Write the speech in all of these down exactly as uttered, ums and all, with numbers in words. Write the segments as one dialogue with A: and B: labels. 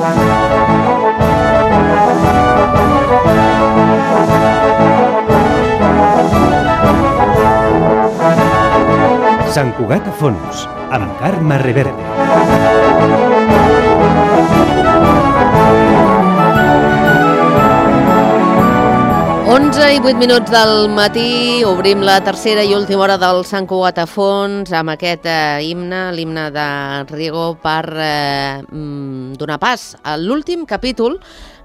A: Sant Cugat a fons, amb Carme Reverte.
B: onze i vuit minuts del matí, obrim la tercera i última hora del Sant Cugat a fons amb aquest eh, himne, l'himne de Riego, per eh, donar pas a l'últim capítol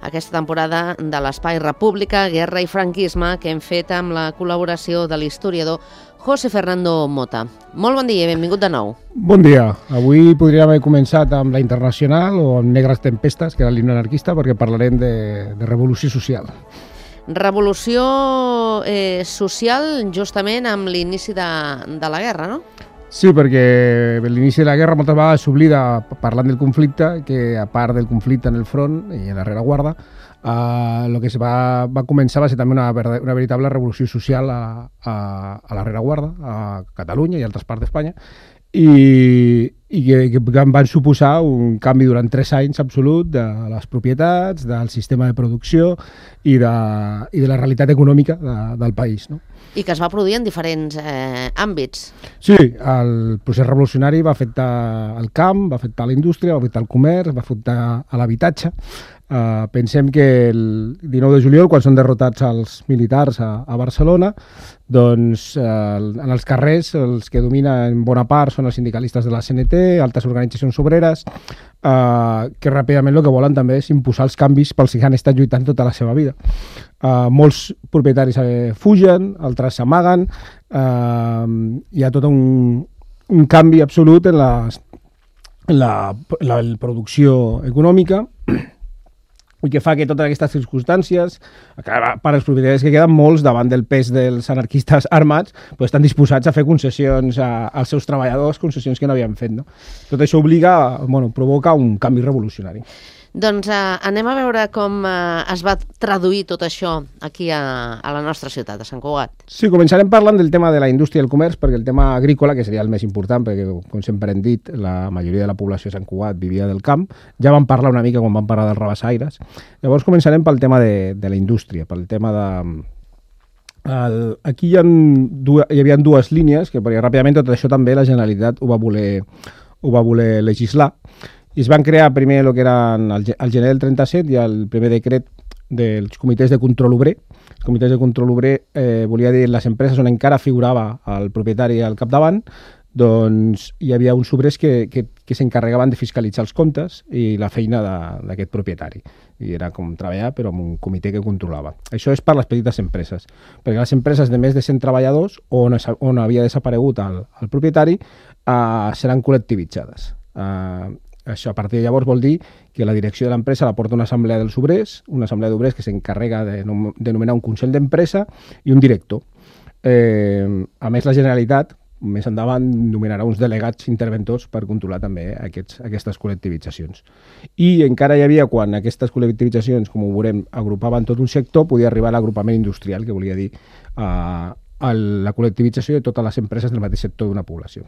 B: aquesta temporada de l'Espai República, Guerra i Franquisme, que hem fet amb la col·laboració de l'historiador José Fernando Mota. Molt bon dia i benvingut de nou.
C: Bon dia. Avui podríem haver començat amb la Internacional o amb Negres Tempestes, que era l'himne anarquista, perquè parlarem de, de revolució social.
B: Revolució eh, social justament amb l'inici de, de la guerra, no?
C: Sí, perquè l'inici de la guerra moltes vegades s'oblida, parlant del conflicte, que a part del conflicte en el front i en la rereguarda, eh, el que es va, va començar va ser també una, una veritable revolució social a, a, a la rereguarda, a Catalunya i altres parts d'Espanya, i, i que, que van suposar un canvi durant tres anys absolut de les propietats, del sistema de producció i de, i de la realitat econòmica de, del país, no?
B: I que es va produir en diferents eh, àmbits.
C: Sí, el procés revolucionari va afectar el camp, va afectar la indústria, va afectar el comerç, va afectar l'habitatge. Uh, pensem que el dinou de juliol, quan són derrotats els militars a, a Barcelona, doncs uh, en els carrers els que dominen en bona part són els sindicalistes de la C N T, altres organitzacions obreres, uh, que ràpidament el que volen també és imposar els canvis pels que han estat lluitant tota la seva vida. Uh, molts propietaris eh, fugen, altres s'amaguen, uh, hi ha tot un, un canvi absolut en la, en la, la, la producció econòmica, i que fa que totes aquestes circumstàncies, per als propietaris que queden molts davant del pes dels anarquistes armats, pues estan disposats a fer concessions a, als seus treballadors, concessions que no havien fet, no? Tot això obliga, bueno, provoca un canvi revolucionari.
B: Doncs eh, anem a veure com eh, es va traduir tot això aquí a, a la nostra ciutat, a Sant Cugat.
C: Sí, començarem parlant del tema de la indústria i el comerç, perquè el tema agrícola, que seria el més important, perquè, com sempre hem dit, la majoria de la població de Sant Cugat vivia del camp. Ja vam parlar una mica quan vam parlar dels rabassaires. Llavors començarem pel tema de, de la indústria, pel tema de... El, aquí hi, ha dues, hi havia dues línies, que perquè ràpidament tot això també la Generalitat ho va voler, ho va voler legislar, i es van crear primer el que eren el, el gener del trenta-set i el primer decret dels comitès de control obrer. Els comitès de control obrer eh, volia dir les empreses on encara figurava el propietari al capdavant, doncs hi havia uns obrers que, que, que s'encarregaven de fiscalitzar els comptes i la feina d'aquest propietari. I era com treballar, però amb un comitè que controlava. Això és per les petites empreses, perquè les empreses de més de cent treballadors, on, on havia desaparegut el, el propietari, eh, seran col·lectivitzades. Eh, Això a partir de llavors vol dir que la direcció de l'empresa la porta una assemblea dels obrers, una assemblea d'obrers que s'encarrega de, de nomenar un consell d'empresa i un director. Eh, a més, la Generalitat, més endavant, nomenarà uns delegats interventors per controlar també aquests, aquestes col·lectivitzacions. I encara hi havia, quan aquestes col·lectivitzacions, com ho veurem, agrupaven tot un sector, podia arribar a l'agrupament industrial, que volia dir eh, a la col·lectivització de totes les empreses del mateix sector d'una població.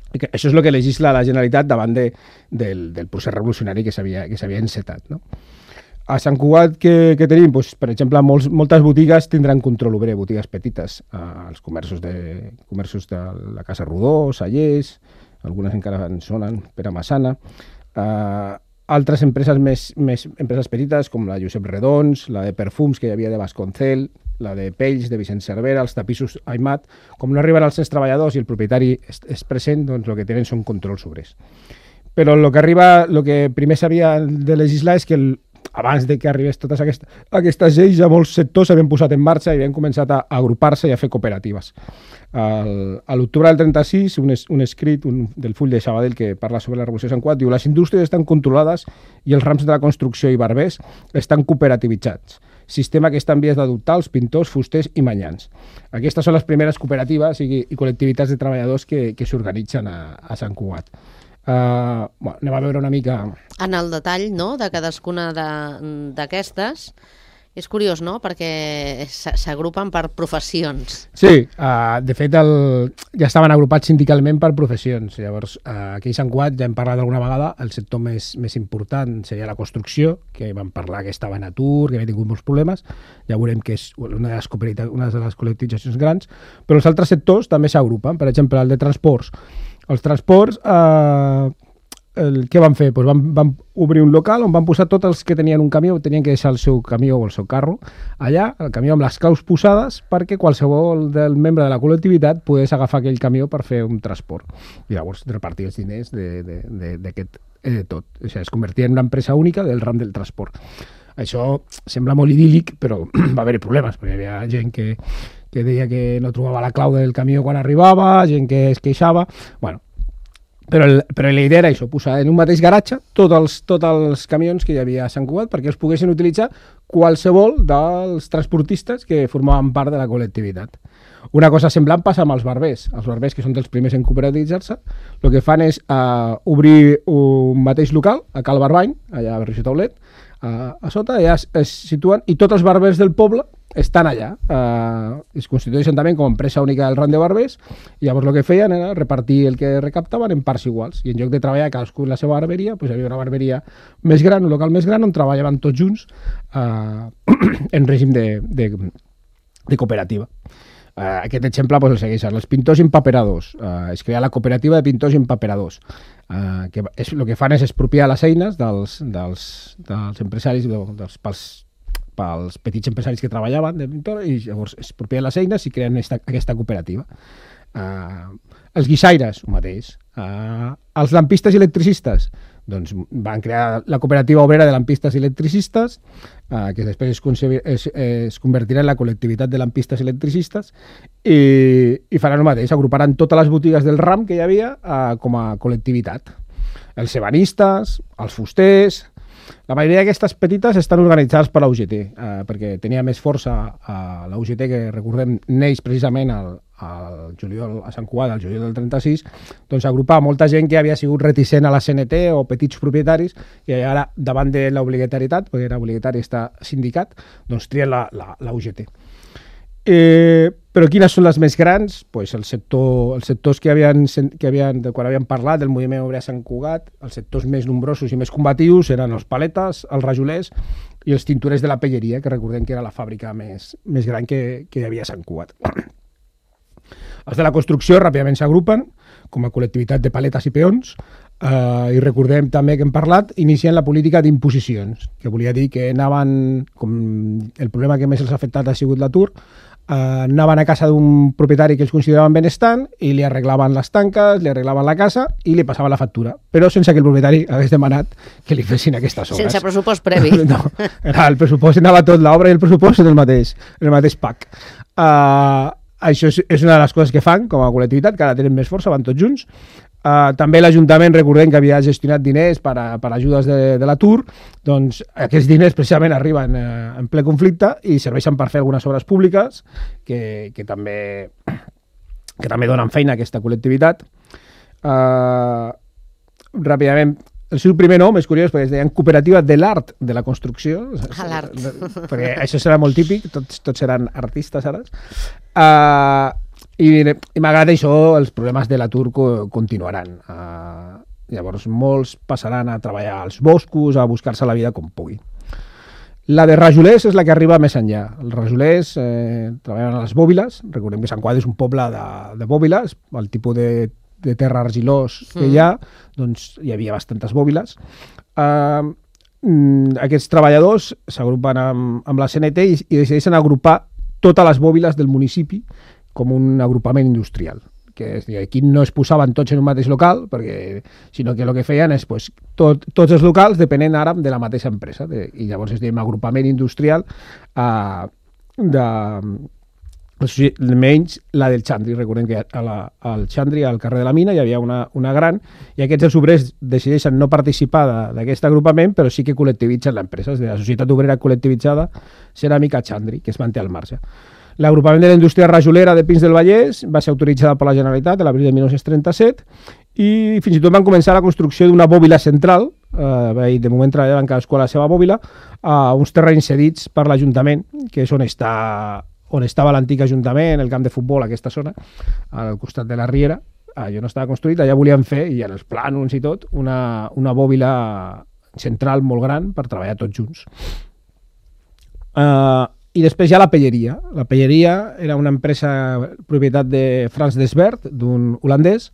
C: Això és el que legisla la Generalitat davant de, del, del procés revolucionari que s'havia que s'havia encetat, no? A Sant Cugat, què, què tenim? Pues, per exemple, molts, moltes botigues tindran control obrer, botigues petites. Eh, els comerços de, comerços de la Casa Rodó, Sallés, algunes encara en sonen, Pere Massana. Eh, altres empreses més, més empreses petites, com la Josep Redons, la de perfums que hi havia de Vasconcel, la de pells de Vicent Cervera, els tapissos Aimat. Com no arriben els seus treballadors i el propietari és, és present, doncs el que tenen són controls obrers. Però el que arriba, el que primer s'havia de legislar és que el, abans de que arribés totes aquestes, aquestes lleis, ja molts sectors s'havien posat en marxa i havien començat a agrupar-se i a fer cooperatives. El, a l'octubre del trenta-sis, un, es, un escrit un, del Full de Sabadell que parla sobre la Revolució de Sant Cugat diu: les indústries estan controlades i els rams de la construcció i barbers estan cooperativitzats. Sistema que està en vies d'adoptar els pintors, fusters i manyans. Aquestes són les primeres cooperatives i, i col·lectivitats de treballadors que, que s'organitzen a, a Sant Cugat. Uh, bueno, anem a veure una mica...
B: En el detall, no?, de cadascuna d'aquestes. És curiós, no?, perquè s'agrupen per professions.
C: Sí, uh, de fet el, ja estaven agrupats sindicalment per professions. Llavors, uh, aquí a Sant Cugat ja hem parlat alguna vegada, el sector més, més important seria la construcció, que vam parlar que estava en atur, que havia tingut molts problemes, ja veurem que és una de les, una de les col·lectivitzacions grans, però els altres sectors també s'agrupen, per exemple, el de transports. Els transports... Uh, El, què van fer? Pues van, van obrir un local on van posar tots els que tenien un camió, tenien que deixar el seu camió o el seu carro allà, el camió amb les claus posades, perquè qualsevol del membre de la col·lectivitat pogués agafar aquell camió per fer un transport. I llavors repartir els diners d'aquest eh, tot. O sigui, es convertia en una empresa única del ram del transport. Això sembla molt idíl·lic, però va haver-hi problemes, perquè hi havia gent que, que deia que no trobava la clau del camió quan arribava, gent que es queixava... Bueno, Però, el, però la idea era això, posar en un mateix garatge tots els, tots els camions que hi havia a Sant Cugat perquè els poguessin utilitzar qualsevol dels transportistes que formaven part de la col·lectivitat. Una cosa semblant passa amb els barbers. Els barbers, que són dels primers en cooperativitzar-se, el que fan és uh, obrir un mateix local, a Cal Barbany, allà a Berriós i Taulet, uh, a sota, allà es, es situen, i tots els barbers del poble estan allà. Uh, es constitueixen també com a empresa única del ram de barbers, i llavors el que feien era repartir el que recaptaven en parts iguals, i en lloc de treballar cadascú en la seva barberia, pues hi havia una barberia més gran, un local més gran, on treballaven tots junts uh, en règim de, de, de cooperativa. Uh, aquest exemple pues, el segueixen. Els pintors empaperadors. Uh, es crea la cooperativa de pintors empaperadors. Uh, que és, el que fan és expropiar les eines dels, dels, dels empresaris, dels, pels, pels petits empresaris que treballaven de pintor, i llavors expropien les eines i creen esta, aquesta cooperativa. Uh, els guixaires, el mateix. Uh, els lampistes i electricistes, doncs van crear la cooperativa obrera de lampistes i electricistes, uh, que després es, es, es convertirà en la col·lectivitat de lampistes i electricistes, i, i faran el mateix, agruparan totes les botigues del ram que hi havia uh, com a col·lectivitat. Els ebanistes, els fusters... La majoria d'aquestes petites estan organitzades per la U G T, eh, perquè tenia més força a la U G T, que recordem neix precisament al, al juliol a Sant Cugat, al juliol del trenta-sis, doncs agrupar molta gent que havia sigut reticent a la C N T o petits propietaris, i ara davant de l'obligatorietat, perquè era obligatori estar sindicat, doncs trien la, la, la U G T. Eh, però quines són les més grans? Pues el sector, els sectors que havien, que havien, de quan havíem parlat del moviment obrer a Sant Cugat, els sectors més nombrosos i més combatius eren els paletes, els rajolers i els tinturers de la pelleria, que recordem que era la fàbrica més, més gran que, que hi havia a Sant Cugat. Els de la construcció ràpidament s'agrupen com a col·lectivitat de paletes i peons, eh, i recordem també que hem parlat, inicien la política d'imposicions, que volia dir que anaven, com el problema que més els ha afectat ha sigut l'atur, Uh, anaven a casa d'un propietari que ells consideraven benestant i li arreglaven les tanques, li arreglaven la casa i li passaven la factura, però sense que el propietari hagués demanat que li fessin aquestes obres.
B: Sense pressupost previ.
C: No, era el pressupost, anava tot, l'obra i el pressupost en el mateix, en el mateix pack. Uh, això és, és una de les coses que fan com a col·lectivitat, que ara tenen més força, van tots junts. Uh, també l'Ajuntament, recordem que havia gestionat diners per, a, per ajudes de, de l'atur, doncs aquests diners precisament arriben uh, en ple conflicte i serveixen per fer algunes obres públiques que, que, també, que també donen feina a aquesta col·lectivitat. Uh, ràpidament, el seu primer nom és curiós perquè es deien Cooperativa de l'Art de la Construcció.
B: A l'art.
C: Perquè això serà molt típic, tots, tots seran artistes ara. Uh, I, i malgrat això, els problemes de l'atur co continuaran. Uh, llavors, molts passaran a treballar als boscos, a buscar-se la vida com pugui. La de rajolers és la que arriba més enllà. Els rajolers eh, treballen a les bòbiles. Recordem que Sant Cugat és un poble de, de bòbiles, el tipus de, de terra argilós que hi ha, doncs hi havia bastantes bòbiles. Uh, aquests treballadors s'agrupen amb, amb la C N T i, i decideixen agrupar totes les bòbiles del municipi com un agrupament industrial, que és, aquí no es posaven tots en un mateix local, perquè, sinó que el que feien és pues, tot, tots els locals depenent ara de la mateixa empresa, de, i llavors es deia agrupament industrial uh, de, menys la del Xandri. Recordem que a la, al Xandri, al carrer de la Mina, hi havia una, una gran, i aquests els obrers decideixen no participar d'aquest agrupament, però sí que col·lectivitzen l'empresa, és a dir, la Societat Obrera Col·lectivitzada Ceràmica Xandri, que es manté al marge. L'agrupament de la indústria rajolera de Pins del Vallès va ser autoritzada per la Generalitat a l'abril de mil nou-cents trenta-set i fins i tot van començar la construcció d'una bòbila central eh, de moment treballaven cadascú a la seva bòbila, a uns terrenys cedits per l'Ajuntament, que és on està on estava l'antic Ajuntament, el camp de futbol, aquesta zona, al costat de la Riera. Allò no estava construït, allà volien fer, i en els plànols i tot, una, una bòbila central molt gran per treballar tots junts. Uh, I després hi ha la pelleria. La pelleria era una empresa propietat de Frans Desbert, d'un holandès.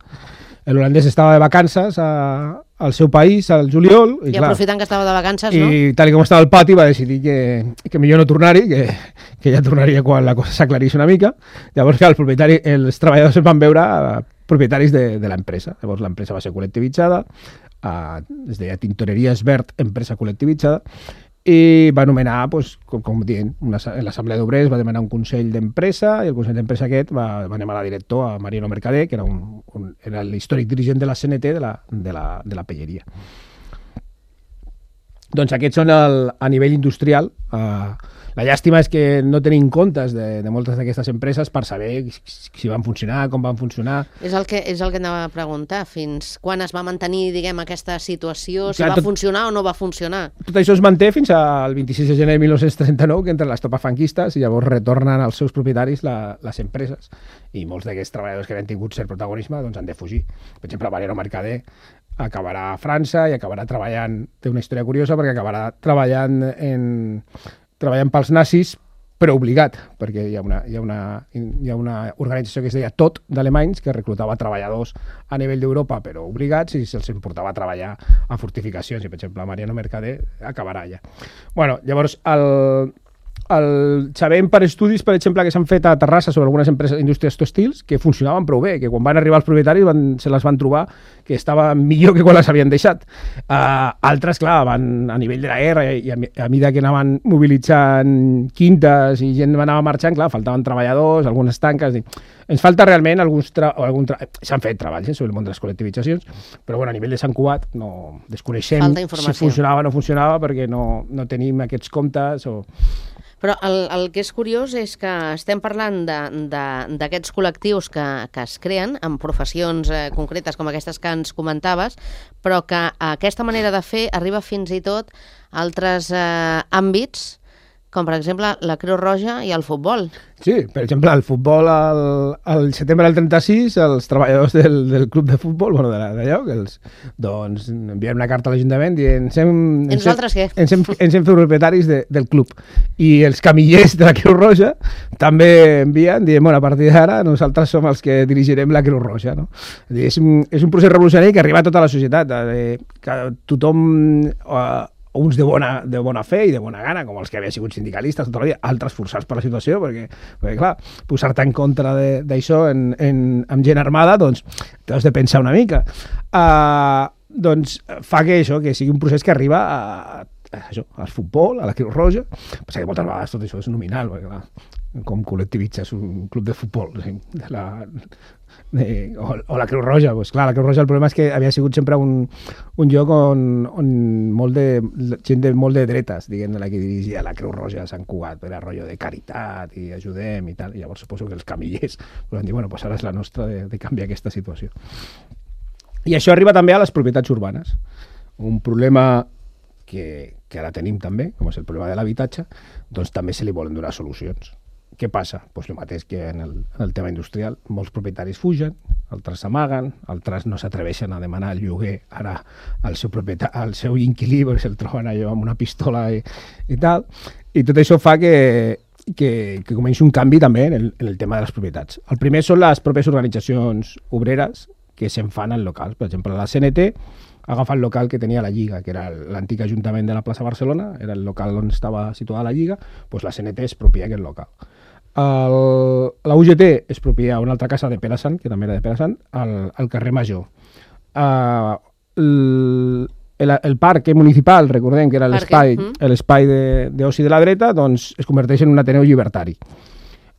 C: L'holandès estava de vacances a, al seu país, al juliol.
B: I, I clar, aprofitant que estava de vacances,
C: i,
B: no?
C: I tal com estava el pati va decidir que, que millor no tornar-hi, que, que ja tornaria quan la cosa s'aclarís una mica. Llavors, clar, el propietari, els treballadors es van veure propietaris de, de l'empresa. Llavors l'empresa va ser col·lectivitzada, eh, es deia Tintoreria Esbert, empresa col·lectivitzada, i va anomenar, doncs, com, com dient, una, l'Assemblea d'Obrers va demanar un Consell d'Empresa, i el Consell d'Empresa aquest va, va demanar director a Mariano Mercader, que era, un, un, era l'històric dirigent de la C N T de la, de la, de la pelleria. Doncs aquests són el, a nivell industrial. Eh, la llàstima és que no tenim comptes de, de moltes d'aquestes empreses per saber si van funcionar, com van funcionar.
B: És el que, és el que anava a preguntar. Fins quan es va mantenir, diguem, aquesta situació? Si
C: Clar,
B: va
C: tot,
B: funcionar o no va funcionar?
C: Tot això es manté fins al vint-i-sis de gener de mil nou-cents trenta-nou, que entren les tropes franquistes i llavors retornen als seus propietaris la, les empreses. I molts d'aquests treballadors que han tingut cert protagonisme doncs, han de fugir. Per exemple, Mariano Mercader acabarà a França i acabarà treballant, té una història curiosa, perquè acabarà treballant en, treballant pels nazis, però obligat, perquè hi ha una, hi ha una, hi ha una organització que es deia Tot, d'alemanys, que reclutava treballadors a nivell d'Europa, però obligats, i se'ls importava a treballar a fortificacions, i per exemple Mariano Mercader acabarà allà. Bueno, llavors, el... El, sabem per estudis, per exemple, que s'han fet a Terrassa sobre algunes empreses indústries tèxtils que funcionaven prou bé, que quan van arribar els propietaris van, se les van trobar que estaven millor que quan les havien deixat. Uh, altres, clar, van a nivell de la guerra i, i a, a mida que anaven mobilitzant quintes i gent anava marxant, clar, faltaven treballadors, algunes tanques... I ens falta realment alguns... Tra algun tra s'han fet treballs eh, sobre el món de les col·lectivitzacions, però bueno, a nivell de Sant Cugat no desconeixem si funcionava o no funcionava perquè no, no tenim aquests comptes o...
B: Però el, el que és curiós és que estem parlant d'aquests col·lectius que, que es creen en professions eh, concretes com aquestes que ens comentaves, però que aquesta manera de fer arriba fins i tot a altres eh, àmbits, com per exemple la Creu Roja i el futbol.
C: Sí, per exemple, el futbol al, al setembre del trenta-sis, els treballadors del, del club de futbol, bueno, d'allò, doncs enviem una carta a l'Ajuntament dient ens hem,
B: I nosaltres què?
C: Ens hem, ens hem fet propietaris de, del club. I els camillers de la Creu Roja també envien, dient, bueno, a partir d'ara nosaltres som els que dirigirem la Creu Roja, no? És un, és un procés revolucionari que arriba a tota la societat, eh, que tothom... Eh, uns de bona, de bona fe i de bona gana, com els que havien sigut sindicalistes tota la vida, altres forçats per la situació, perquè, perquè clar, posar-te en contra d'això amb gent armada, doncs t'has de pensar una mica. Uh, doncs fa que això, que sigui un procés que arriba a, a això, al futbol, a la Creu Roja, però que moltes vegades tot això és nominal, perquè clar, com col·lectivitzes un club de futbol, de la... De, o, o la Creu Roja, pues clar, la Creu Roja el problema és que havia sigut sempre un, un lloc on, on molt de, gent de molt de dretes, diguem, la que dirigia la Creu Roja a Sant Cugat, era rotllo de caritat i ajudem i tal, i llavors suposo que els camillers van dir, bueno, pues ara és la nostra de, de canviar aquesta situació. I això arriba també a les propietats urbanes, un problema que, que ara tenim també, com és el problema de l'habitatge, doncs també se li volen donar solucions. Què passa? Pues el mateix que en el, en el tema industrial. Molts propietaris fugen, altres s'amaguen, altres no s'atreveixen a demanar el lloguer ara al seu, al seu inquilí, perquè se'l troben allò amb una pistola i, i tal. I tot això fa que, que, que comenci un canvi també en el, en el tema de les propietats. El primer són les pròpies organitzacions obreres que se'n fan en locals. Per exemple, la C N T agafa el local que tenia la Lliga, que era l'antic Ajuntament de la plaça Barcelona, era el local on estava situada la Lliga, doncs la C N T es propia aquest local. El, la U G T es propia una altra casa de Pere Sant, que també era de Pere Sant, al, al carrer Major. Uh, el, el, el parc municipal, recordem que era l'espai mm. d'oci de la dreta, doncs es converteix en un Ateneu llibertari.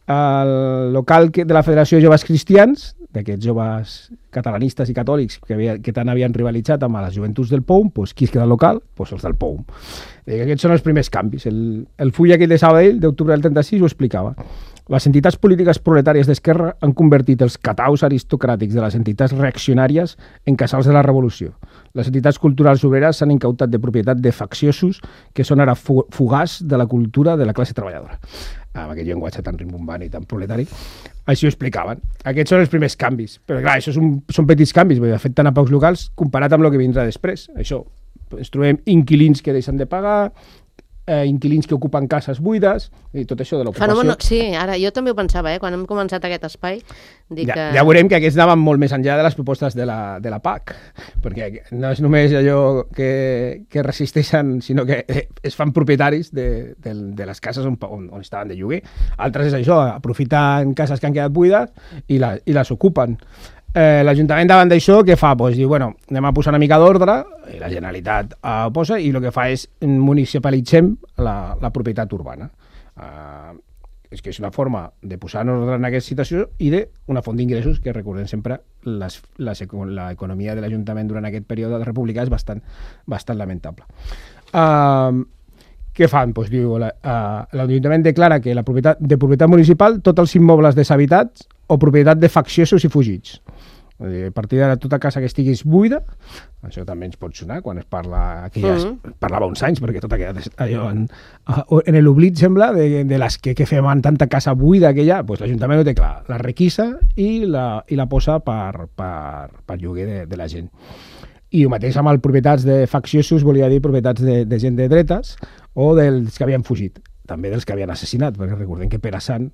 C: El local que, de la Federació de Joves Cristians, d'aquests joves catalanistes i catòlics que, havia, que tant havien rivalitzat amb les joventuts del P O U M, doncs qui es queda al local? Doncs els del P O U M. Aquests són els primers canvis. El, el full aquell de Sabadell, d'octubre del trenta-sis, ho explicava. Les entitats polítiques proletàries d'esquerra han convertit els cataus aristocràtics de les entitats reaccionàries en casals de la revolució. Les entitats culturals obreres s'han incautat de propietat de facciosos que són ara fugaç de la cultura de la classe treballadora. Amb aquest llenguatge tan rimbombant i tan proletari. Així ho explicaven. Aquests són els primers canvis. Però clar, això són, són petits canvis, perquè afecten a pocs locals comparat amb el que vindrà després. Això, ens trobem inquilins que deixen de pagar, eh, inquilins que ocupen cases buides, i tot això de l'ocupació.
B: Fenomen, sí, ara jo també ho pensava, eh, quan hem començat aquest espai. Dic
C: ja,
B: que...
C: ja veurem que aquests anaven molt més enllà de les propostes de la, de la P A C, perquè no és només allò que, que resisteixen, sinó que es fan propietaris de, de, de les cases on, on, on estaven de lloguer. Altres és això, aprofiten cases que han quedat buides i, la, i les ocupen. Eh, L'Ajuntament davant d'això què fa? Pues, diu, bueno, anem a posar una mica d'ordre, i la Generalitat eh, posa, i el que fa és municipalitzem la, la propietat urbana. Eh, és que és una forma de posar en ordre en aquesta situació i d'una font d'ingressos que, recordem sempre, les, les, l'economia de l'Ajuntament durant aquest període republicà és bastant, bastant lamentable. Eh, què fan? Pues, diu, la, uh, l'Ajuntament declara que la propietat, de propietat municipal tots els immobles deshabitats o propietat de facciosos i fugits. A partir d'ara, tota casa que estiguis buida, això també ens pot sonar quan es parla, que ja es mm. parlava uns anys, perquè tot ha quedat allò en, en l'oblit, sembla, de, de les que, que fem en tanta casa buida que hi ha, pues l'Ajuntament ho té clar, la requisa i la, i la posa per, per, per lloguer de, de la gent. I el mateix amb els propietats de facciosos, volia dir propietats de, de gent de dretes o dels que havien fugit, també dels que havien assassinat, perquè recordem que Pere Sant,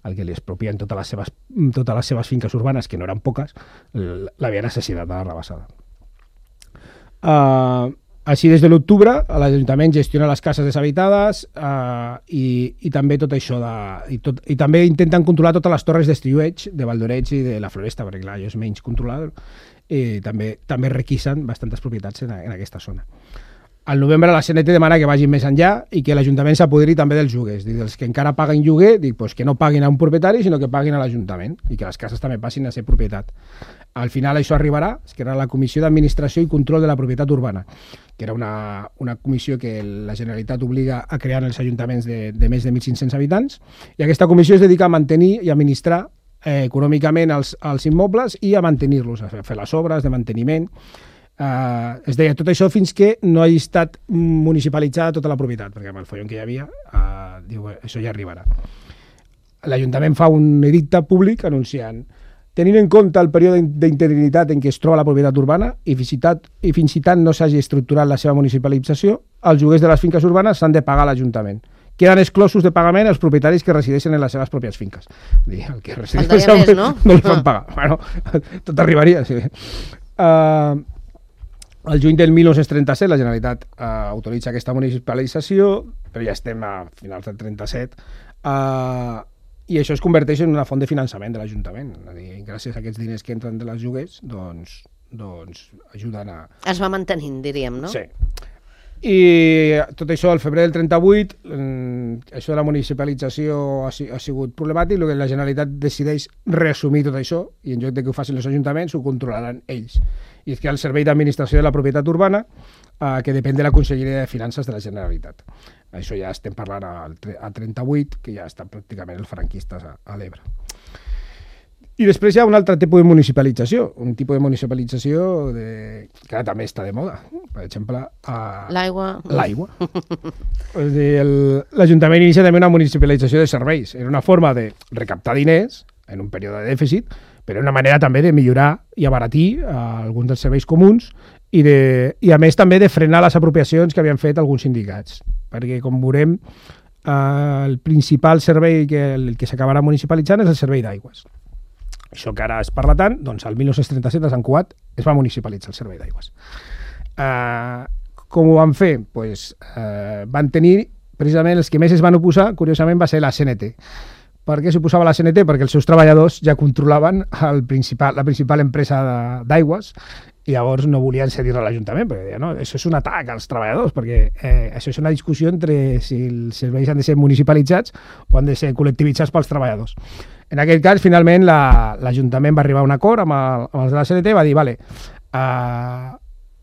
C: el que li expropien totes les seves, totes les seves finques urbanes, que no eren poques, l'havien assassinat a la Rabassada. Uh, així, des de l'octubre, l'Ajuntament gestiona les cases deshabitades uh, i, i també tot això de, i, tot, i també intenten controlar totes les torres d'estiueig, de Valdoreig i de la Floresta, perquè clar, allò és menys controlat, i també, també requisen bastantes propietats en, en aquesta zona. Al novembre la C N T demana que vagin més enllà i que l'Ajuntament s'apoderi també dels lloguers. Dic, dels que encara paguen lloguer, dic, pues, que no paguin a un propietari, sinó que paguin a l'Ajuntament i que les cases també passin a ser propietat. Al final això arribarà, que era la Comissió d'Administració i Control de la Propietat Urbana, que era una, una comissió que la Generalitat obliga a crear en els ajuntaments de, de més de mil cinc-cents habitants, i aquesta comissió es dedica a mantenir i administrar eh, econòmicament els, els immobles i a mantenir-los, a fer les obres de manteniment. Uh, es deia tot això fins que no hagi estat municipalitzada tota la propietat, perquè amb el follon que hi havia uh, diu, això ja arribarà. L'Ajuntament fa un edicte públic anunciant: tenint en compte el període d'interinitat en què es troba la propietat urbana i fins i tot, i fins i tant no s'hagi estructurat la seva municipalització, els lloguers de les finques urbanes s'han de pagar a l'Ajuntament. Queden exclosos de pagament els propietaris que resideixen en les seves pròpies finques. El que resideix
B: més, no?
C: no li fan pagar. Bueno, tot arribaria, sí. Uh, El juny del mil nou-cents trenta-set la Generalitat eh, autoritza aquesta municipalització, però ja estem a finals del trenta-set, eh, i això es converteix en una font de finançament de l'Ajuntament. Gràcies a aquests diners que entren de les lloguers, doncs, doncs ajuden a...
B: Es va mantenint, diríem, no?
C: Sí. I tot això, al febrer del trenta-vuit, eh, això de la municipalització ha, ha sigut problemàtic, el que la Generalitat decideix reassumir tot això, i en lloc de que ho facin els ajuntaments, ho controlaran ells. I és que el Servei d'Administració de la Propietat Urbana, eh, que depèn de la Conselleria de Finances de la Generalitat. Això ja estem parlant al, al trenta-vuit, que ja estan pràcticament els franquistes a, a l'Ebre. I després hi ha un altre tipus de municipalització, un tipus de municipalització de... que ara també està de moda. Per exemple, uh...
B: l'aigua.
C: L'aigua. L'Ajuntament inicia també una municipalització de serveis. Era una forma de recaptar diners en un període de dèficit, però una manera també de millorar i abaratir uh, alguns dels serveis comuns i, de... i a més també de frenar les apropiacions que havien fet alguns sindicats. Perquè, com veurem, uh, el principal servei que, el que s'acabarà municipalitzant és el servei d'aigües. Això que ara es parla tant, doncs el mil nou-cents trenta-set a Sant Cugat es va municipalitzar el servei d'aigües. Uh, com ho van fer? Pues, uh, van tenir, precisament els que més es van oposar, curiosament, va ser la C N T. Per què s'oposava la C N T? Perquè els seus treballadors ja controlaven el principal, la principal empresa d'aigües i llavors no volien cedir-la a l'Ajuntament, perquè deien, no, això és un atac als treballadors, perquè eh, això és una discussió entre si els serveis han de ser municipalitzats o han de ser col·lectivitzats pels treballadors. En aquest cas, finalment, l'Ajuntament la, va arribar a un acord amb, el, amb els de la C N T, va dir, vale, uh,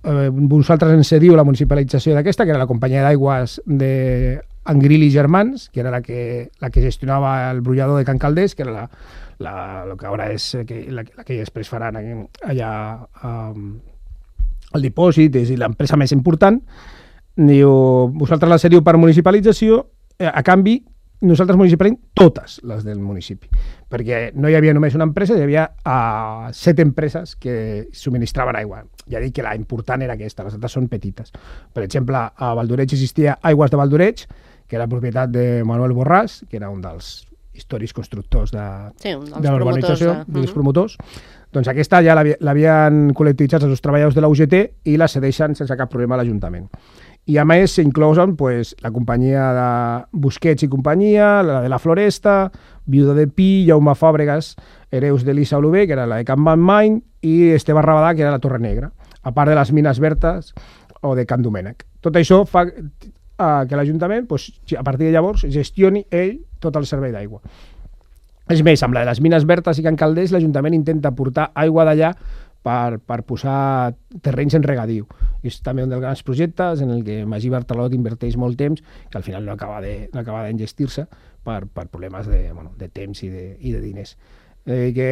C: uh, vosaltres ens cediu la municipalització d'aquesta, que era la companyia d'aigües de Angril i Germans, que era la que, la que gestionava el brollador de Can Calders, que era la, la, lo que ara és que, la, la que després faran allà um, el dipòsit, és l'empresa més important. Diu, vosaltres la cediu per municipalització, eh, a canvi nosaltres municipalitzem totes les del municipi, perquè no hi havia només una empresa, hi havia uh, set empreses que subministraven aigua. Ja dic que la important era aquesta, les altres són petites. Per exemple, a Valdoreig existia Aigües de Valdoreig, que era propietat de Manuel Borràs, que era un dels històrics constructors de,
B: sí,
C: de la urbanització,
B: de...
C: dels promotors. Doncs aquesta ja l'havien col·lectivitzat els treballadors de la U G T i la cedeixen sense cap problema a l'Ajuntament. I a més s'inclosen pues, la companyia de Busquets i companyia, la de la Floresta, Viuda de Pi, Jaume Fàbregas, Hereus d'Elisa Olové, que era la de Can Main, i Esteve Rabadà, que era la Torre Negra, a part de les Mines Vertes o de Can Domènec. Tot això fa uh, que l'Ajuntament, pues, a partir de llavors, gestioni ell tot el servei d'aigua. És més, amb la de les Mines Vertes i Can Calders, l'Ajuntament intenta portar aigua d'allà per, per posar terrenys en regadiu. I és també un dels grans projectes en el que Magí Bartalot inverteix molt temps, que al final no acaba de, no acaba d'engestir-se per, per problemes de, bueno, de temps i de, i de diners. Eh, que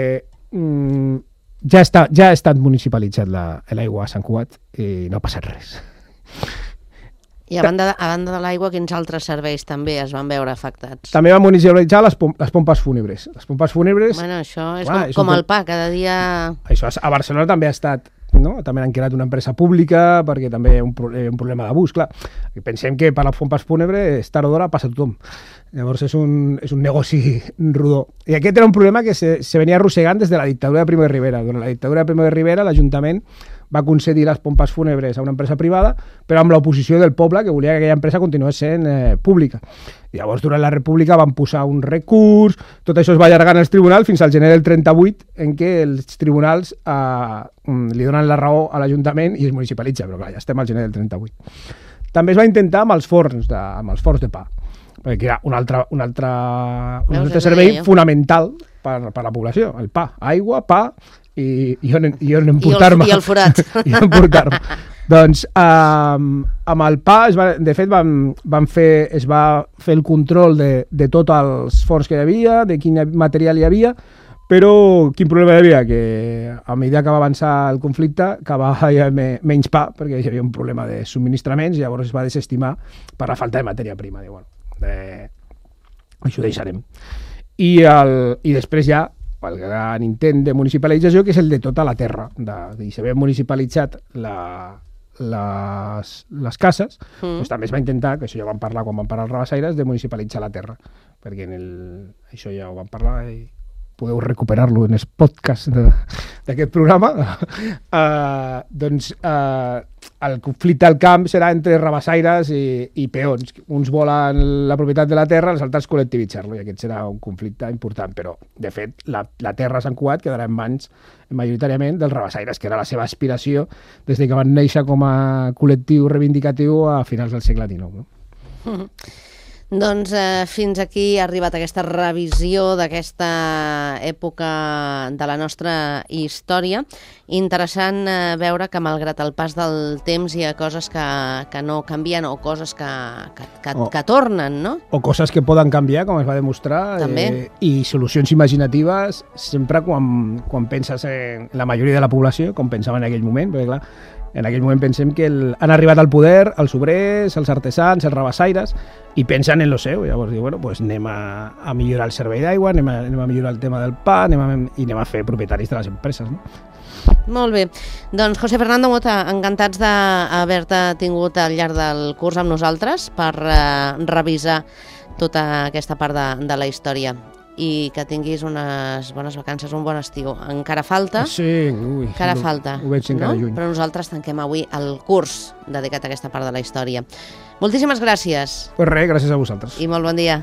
C: mm, ja, està, ja ha estat municipalitzat l'aigua a Sant Cugat i no ha passat res.
B: I a banda, a banda de l'aigua, quins altres serveis també es van veure afectats?
C: També van municipalitzar les, pom les pompes fúnebres. Les pompes fúnebres...
B: Bueno, això és
C: clar,
B: com,
C: és
B: com
C: un...
B: el pa, cada dia...
C: Això a Barcelona també ha estat, no? També han creat una empresa pública perquè també hi ha un, pro un problema d'abús, clar. Pensem que per les pompes fúnebres, tard o d'hora, passa tothom. Llavors és un, és un negoci rodó. I aquest era un problema que se, se venia arrossegant des de la dictadura de Primo de Rivera. Durant la dictadura de Primo de Rivera, l'Ajuntament va concedir les pompes fúnebres a una empresa privada, però amb l'oposició del poble, que volia que aquella empresa continués sent eh, pública. I llavors, durant la República, van posar un recurs, tot això es va allargar als tribunals fins al gener del trenta-vuit, en què els tribunals eh, li donen la raó a l'Ajuntament i es municipalitza, però clar, ja estem al gener del trenta-vuit. També es va intentar amb els forns de, amb els forns de pa, perquè era un altre, un altre, un altre servei fonamental per, per la població, el pa, aigua, pa, i, i on, i on emportar-me.
B: I el forat.
C: I on emportar-me. Doncs um, amb el pa, es va, de fet, van, van fer, es va fer el control de, de tots els forns que hi havia, de quin material hi havia, però quin problema hi havia? Que a mesura que va avançar el conflicte, que va haver menys pa, perquè hi havia un problema de subministraments, i llavors es va desestimar per la falta de matèria prima. Diu, bueno, de... això ho deixarem. I, el, i després ja el gran intent de municipalització, que és el de tota la terra. De, de, si s'havien municipalitzat la, les, les cases, mm. doncs també es va intentar, que això ja vam parlar quan vam parlar als Rabassaires, de municipalitzar la terra, perquè en el, això ja ho vam parlar i podeu recuperar-lo en el podcast d'aquest programa. uh, doncs uh, el conflicte al camp serà entre rabassaires i, i peons. Uns volen la propietat de la terra, els altres col·lectivitzar-lo, i aquest serà un conflicte important, però de fet la, la terra a Sant Cugat quedarà en mans majoritàriament dels rabassaires, que era la seva aspiració des de que van néixer com a col·lectiu reivindicatiu a finals del segle dinou. No?
B: Mm-hmm. Doncs eh, fins aquí ha arribat aquesta revisió d'aquesta època de la nostra història. Interessant eh, veure que malgrat el pas del temps hi ha coses que, que no canvien o coses que, que, que, oh. que tornen, no?
C: O coses que poden canviar, com es va demostrar, eh, i solucions imaginatives sempre quan, quan penses en la majoria de la població, com pensava en aquell moment, perquè clar, en aquell moment pensem que el, han arribat al poder els obrers, els artesans, els rabassaires, i pensen en lo seu. Llavors diu, bueno, pues anem a, a millorar el servei d'aigua, anem, anem a millorar el tema del pa, anem a, i anem a fer propietaris de les empreses, no?
B: Molt bé. Doncs José Fernando Mota, encantats d'haver-te tingut al llarg del curs amb nosaltres per eh, revisar tota aquesta part de, de la història. I que tinguis unes bones vacances, un bon estiu. Encara falta,
C: sí, ui,
B: encara falta,
C: ho veig encara
B: no?
C: lluny.
B: Però nosaltres tanquem avui el curs dedicat a aquesta part de la història. Moltíssimes gràcies.
C: Pues res, gràcies a vosaltres.
B: I molt bon dia.